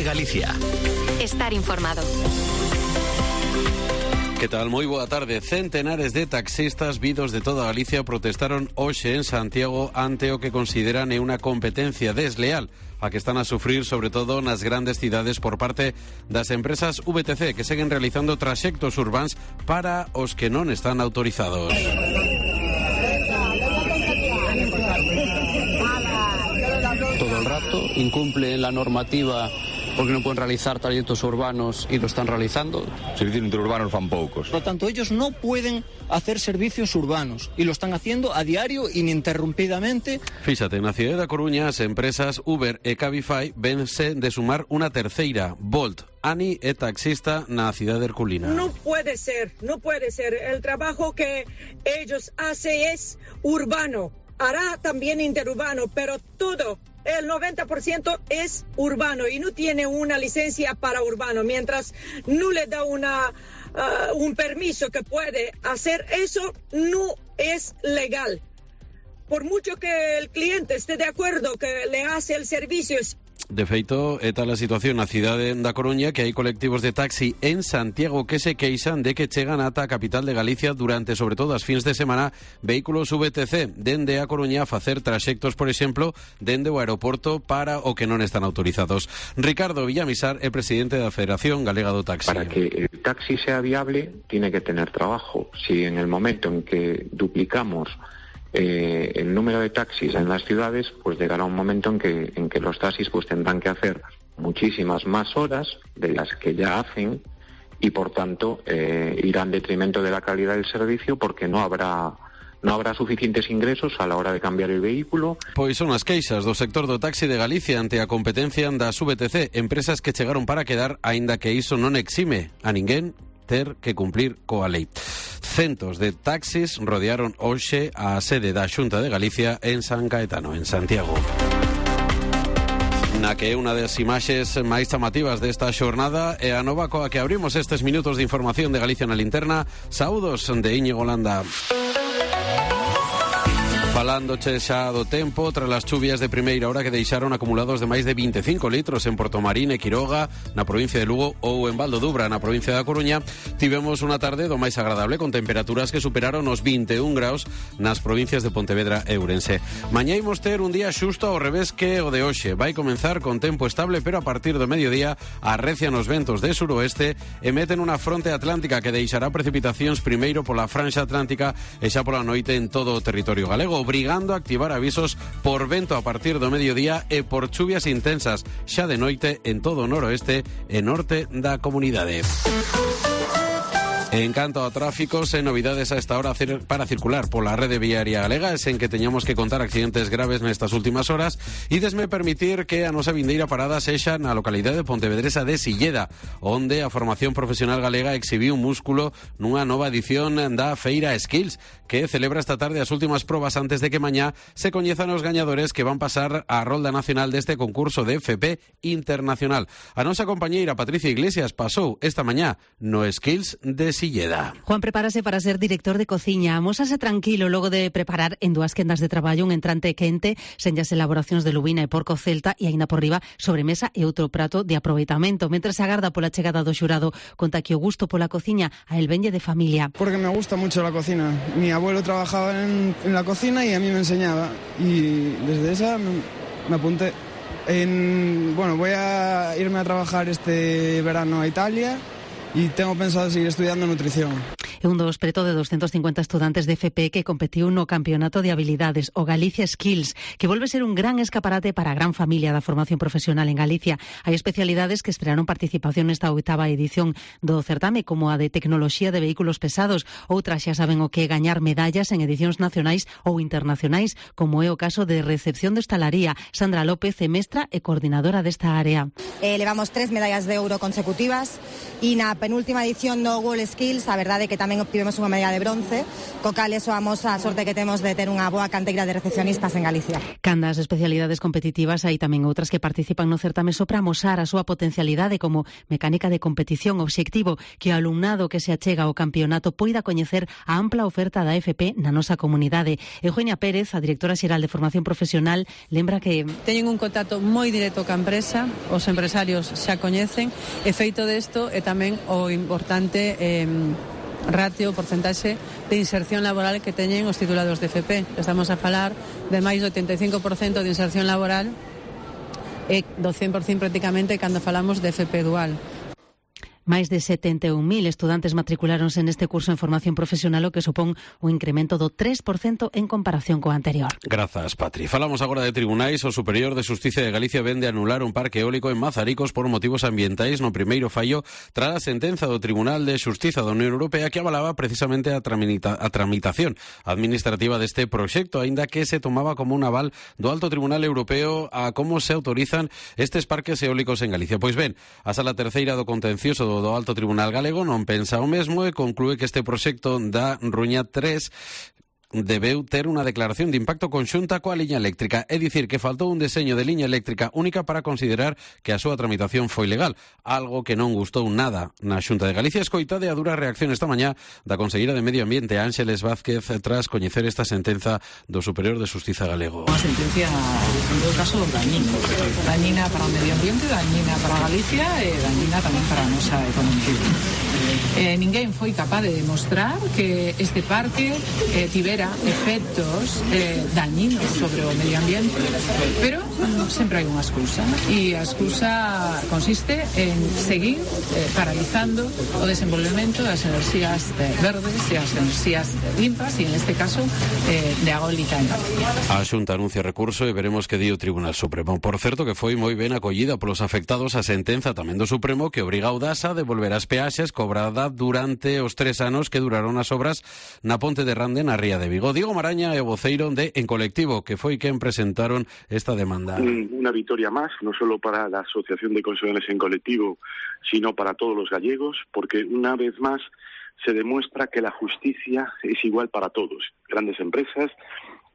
de Galicia. Estar informado. Que tal? Moi boa tarde. Centenares de taxistas vidos de toda Galicia protestaron hoxe en Santiago ante o que consideran unha competencia desleal a que están a sufrir sobre todo nas grandes cidades por parte das empresas VTC que seguen realizando traxectos urbáns para os que non están autorizados. Todo el rato incumplen la normativa porque no pueden realizar trayectos urbanos y lo están realizando. Servicios interurbanos van poucos. Por lo tanto, ellos no pueden hacer servicios urbanos y lo están haciendo a diario ininterrumpidamente. Fíxate, na cidade da Coruña as empresas Uber e Cabify vense de sumar unha terceira, Bolt. Ani é taxista na cidade herculina. No puede ser. El trabajo que ellos hacen es urbano. Hará también interurbano, pero todo, el 90% es urbano y no tiene una licencia para urbano. Mientras no le da un permiso que puede hacer eso, no es legal. Por mucho que el cliente esté de acuerdo que le hace el servicio. De feito, é tal a situación na cidade da Coruña que hai colectivos de taxi en Santiago que se queixan de que chegan ata a capital de Galicia durante, sobre todo, as fins de semana, vehículos VTC dende a Coruña a facer traxectos, por exemplo, dende o aeroporto para o que non están autorizados. Ricardo Villamisar é presidente da Federación Galega do Taxi. Para que el taxi sea viable, tiene que tener trabajo. Si en el momento en que duplicamos el número de taxis en las ciudades, pues llegará un momento en que los taxis pues tendrán que hacer muchísimas más horas de las que ya hacen y por tanto irá en detrimento de la calidad del servicio porque no habrá suficientes ingresos a la hora de cambiar el vehículo. Pois son as queixas do sector do taxi de Galicia ante a competencia das VTC, empresas que chegaron para quedar, aínda que iso non exime a ninguén ter que cumplir coa lei. Centos de taxis rodearon hoxe a sede da Xunta de Galicia en San Caetano, en Santiago. Na que é unha das imaxes máis chamativas desta xornada é a nova coa que abrimos estes minutos de información de Galicia na linterna. Saúdos de Íñigo Landa. Falándoche xa do tempo, tras as chuvias de primeira hora que deixaron acumulados de máis de 25 litros en Portomarín e Quiroga, na provincia de Lugo, ou en Val do Dubra, na provincia da Coruña, tivemos unha tarde do máis agradable, con temperaturas que superaron os 21 graus nas provincias de Pontevedra e Ourense. Mañá imos ter un día xusto ao revés que o de hoxe. Vai comenzar con tempo estable, pero a partir do mediodía arrecian os ventos de suroeste e meten unha fronte atlántica que deixará precipitacións primeiro pola franxa atlántica e xa pola noite en todo o territorio galego, obrigando a activar avisos por vento a partir do mediodía e por chuvias intensas xa de noite en todo o noroeste e norte da comunidade. En canto a tráficos, novidades a esta hora para circular pola rede viaria galega, es en que teñamos que contar accidentes graves nestas últimas horas e desme permitir que a nosa vindeira parada sexa na localidade pontevedresa de Silleda, onde a formación profesional galega exhibiu un músculo nunha nova edición da Feira Skills, que celebra esta tarde as últimas probas antes de que mañá se coñezan os gañadores que van pasar a rolda nacional deste concurso de FP Internacional. A nosa compañeira Patricia Iglesias pasou esta mañá no Skills de Silleda. Juan prepárase para ser director de cociña. Amósase tranquilo logo de preparar en 2 quendas de traballo un entrante quente, sen as elaboracións de lubina e porco celta e aínda por riba sobremesa e outro prato de aproveitamento. Mentre se agarda pola chegada do xurado, conta que o gusto pola cociña a el venlle de familia. Porque me gusta mucho la cocina. Mi abuelo trabajaba en la cocina y a mí me enseñaba. Y desde esa me apunté. Voy a irme a trabajar este verano a Italia y tengo pensado seguir estudiando nutrición. É un dos preto de 250 estudantes de FP que competiu no Campeonato de Habilidades, o Galicia Skills, que volve ser un gran escaparate para a gran familia da formación profesional en Galicia. Hai especialidades que estrearon participación nesta 8ª edición do certame, como a de Tecnoloxía de Vehículos Pesados. Outras xa saben o que é gañar medallas en edicións nacionais ou internacionais, como é o caso de Recepción de Hostalaría. Sandra López é mestra e coordinadora desta área. Levamos 3 medallas de ouro consecutivas e na penúltima edición do World Skills a verdade que tamén tamén obtivemos unha medalla de bronce, co cal soamos a sorte que temos de ter unha boa canteira de recepcionistas en Galicia. Candas especialidades competitivas, hai tamén outras que participan no certame só para amosar a súa potencialidade como mecánica de competición, obxectivo que o alumnado que se achega ao campeonato poida coñecer a ampla oferta da FP na nosa comunidade. Eugenia Pérez, a directora xeral de Formación Profesional, lembra que teñen un contacto moi directo ca empresa, os empresarios xa coñecen, e feito desto é tamén o importante ratio, porcentaxe de inserción laboral que teñen os titulados de FP. Estamos a falar de máis do 85% de inserción laboral e do 100% prácticamente cando falamos de FP dual. Máis de 71.000 estudantes matriculáronse neste curso en formación profesional, o que supón un incremento do 3% en comparación co anterior. Grazas, Patri. Falamos agora de tribunais. O Superior de Xustiza de Galicia vende anular un parque eólico en Mazaricos por motivos ambientais no primeiro fallo tras a sentenza do Tribunal de Xustiza da Unión Europea que avalaba precisamente a tramitación administrativa deste proxecto, aínda que se tomaba como un aval do Alto Tribunal Europeo a como se autorizan estes parques eólicos en Galicia. Pois ben, a Sala Terceira do Contencioso do Alto Tribunal Galego non pensa o mesmo e conclúe que este proxecto da Ruña 3 debeu ter unha declaración de impacto conxunta coa liña eléctrica, é dicir, que faltou un deseño de liña eléctrica única para considerar que a súa tramitación foi legal, algo que non gustou nada na Xunta de Galicia. Escoitade a dura reacción esta mañá da conselleira de Medio Ambiente, Ángeles Vázquez, tras coñecer esta sentenza do Superior de Xustiza galego. Unha sentencia, en todo caso, dañina para o medio ambiente, dañina para Galicia e dañina tamén para a nosa economía. Ninguén foi capaz de demostrar que este parque tivera efectos dañinos sobre o medio ambiente, pero sempre hai unha excusa, e a excusa consiste en seguir paralizando o desenvolvemento das enerxías verdes e as enerxías limpas, e en este caso de eólica en Galicia. A Xunta anuncia recurso e veremos que di o Tribunal Supremo. Por certo, que foi moi ben acollida polos afectados a sentenza tamén do Supremo que obriga a Audasa a devolver as peaxes cobrada durante os 3 anos que duraron as obras na Ponte de Rande na Ría de Vigo. Diego Maraña é o voceiro de En Colectivo, que foi quen presentaron esta demanda. Una victoria más, no solo para la Asociación de Consumidores En Colectivo, sino para todos los gallegos, porque una vez más se demuestra que la justicia es igual para todos, grandes empresas,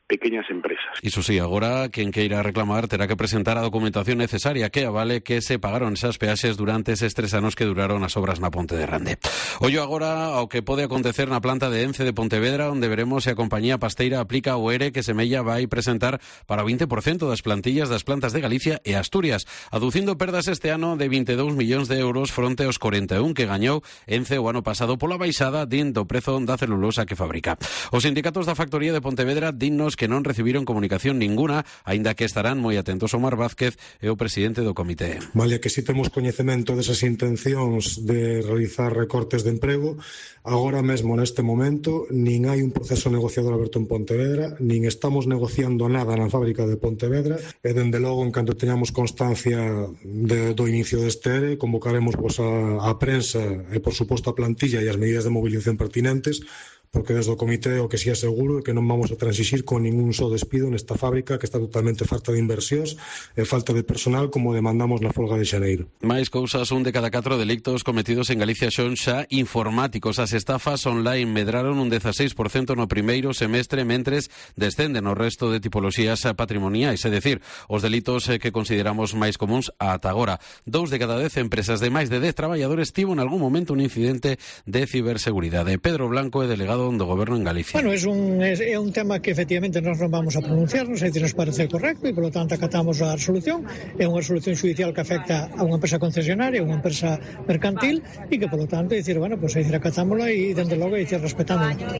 pequeñas empresas. Iso sí, agora quen queira reclamar terá que presentar a documentación necesaria que avale que se pagaron esas peaxes durante eses 3 anos que duraron as obras na Ponte de Rande. Ollo agora ao que pode acontecer na planta de Ence de Pontevedra, onde veremos se a compañía pasteira aplica o ERE que Semella vai presentar para o 20% das plantillas das plantas de Galicia e Asturias, aducindo perdas este ano de 22 millóns de euros fronte aos 41 que gañou Ence o ano pasado pola baixada do prezo da celulosa que fabrica. Os sindicatos da factoría de Pontevedra dinnos que non recibiron comunicación ninguna, aínda que estarán moi atentos. Omar Vázquez é o presidente do comité. Vale, que si temos coñecemento desas intencións de realizar recortes de emprego, agora mesmo neste momento nin hai un proceso negociador aberto en Pontevedra, nin estamos negociando nada na fábrica de Pontevedra, e dende logo, en canto teñamos constancia do inicio deste ERE, convocaremos a prensa e, por suposto, a plantilla e as medidas de movilización pertinentes, porque desde o comité o que si é seguro é que non vamos a transixir con ningún só despido nesta fábrica que está totalmente falta de inversións e falta de personal como demandamos na folga de xaneiro. Mais cousas, 1 de cada 4 delictos cometidos en Galicia son xa informáticos. As estafas online medraron un 16% no primeiro semestre, mentres descenden o resto de tipoloxías patrimoniais, é dicir, os delitos que consideramos máis comuns ata agora. 2 de cada 10 empresas de máis de 10 traballadores tivo en algún momento un incidente de ciberseguridade. Pedro Blanco é delegado do Goberno en Galicia. Bueno, é un tema que efectivamente nós non vamos a pronunciarnos, é dicir, nos parece correcto e, polo tanto, acatamos a resolución. É unha resolución judicial que afecta a unha empresa concesionaria, unha empresa mercantil e que, polo tanto, é dicir, bueno, pues, é dicir, acatámola e, dende logo, é dicir, respetándola.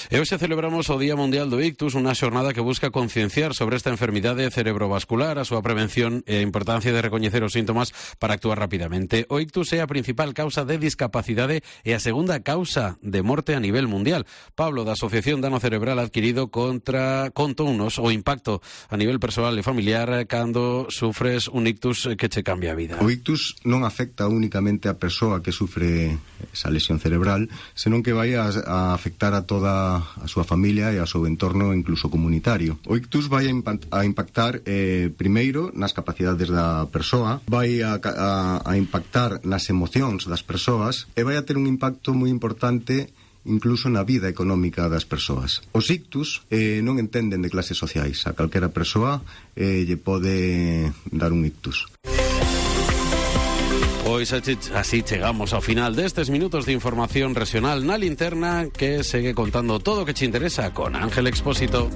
E hoxe celebramos o Día Mundial do Ictus, unha xornada que busca concienciar sobre esta enfermidade cerebrovascular, a súa prevención e a importancia de recoñecer os síntomas para actuar rapidamente. O ictus é a principal causa de discapacidade e a segunda causa de morte a nivel mundial. Pablo, da Asociación Dano Cerebral Adquirido, contounos o impacto a nivel persoal e familiar cando sufres un ictus que che cambia a vida. O ictus non afecta únicamente a persoa que sufre esa lesión cerebral, senón que vai a afectar a toda a súa familia e ao seu entorno, incluso comunitario. O ictus vai a impactar primeiro nas capacidades da persoa, vai a impactar nas emocións das persoas e vai a ter un impacto moi importante incluso na vida económica das persoas. Os ictus non entenden de clases sociais. A calquera persoa lle pode dar un ictus. Pois así chegamos ao final destes minutos de información regional na linterna, que segue contando todo o que che interesa con Ángel Expósito.